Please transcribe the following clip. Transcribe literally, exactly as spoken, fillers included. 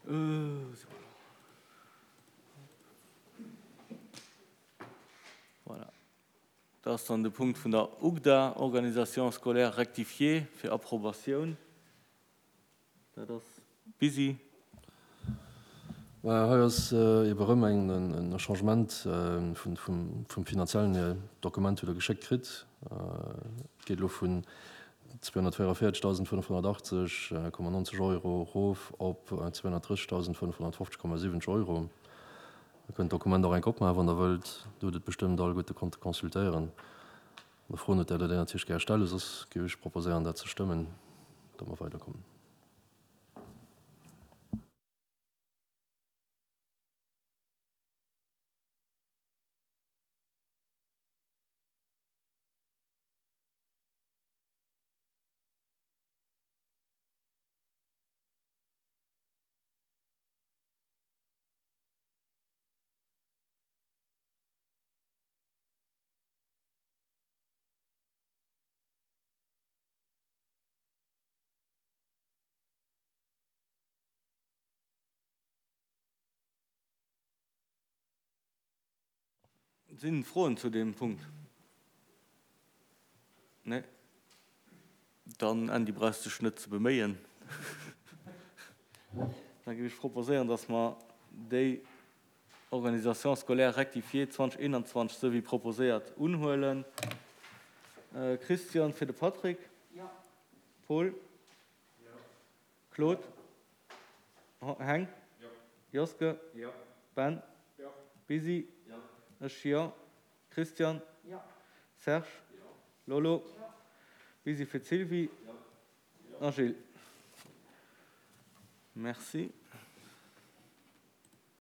Wou si mer elo? Voilà. Dat ass dann de Punkt vun der UGDA, Organisation scolaire rectifiée, fir Approbatioun. Dat ass busy. Maja, hei ass ebe rëm en Changement vum finanziellen Dokument, hutt Der geschéckt kritt. Et geet elo vun zweehonnertvéierunvéierzegdausendfënnefhonnertachtzeg Komma nonzeg Euro erof op zweehonnertdrëssigdausendfënnefhonnertfofzeg Komma siwwenzeg Euro. Der kënnt d'Dokument och enk opmaachen, wann Der wëllt. Do hutt et bestëmmt alleguerte konnte consultéieren. Wann Der Froen hutt, däerft Der déi natierlech gär stellen. Soss géif ech proposéieren, dat ze stëmmen, datt mer weiderkommen. Sinn Froen zu deem Punkt? Nee? Dann, Andy, brauchs dech net ze beméien. Da géif ech proposéieren, dass mer déi Organisation scolaire rectifiée zweedausendeenanzwanzeg esou wéi proposéiert unhuelen. Christian fir de Patrick. Paul. Claude. Heng. Joske. Ben. Busy. Ech jo. Christian. Serge. Lolo. Busy fir d'Sylvie. A Gilles. Merci.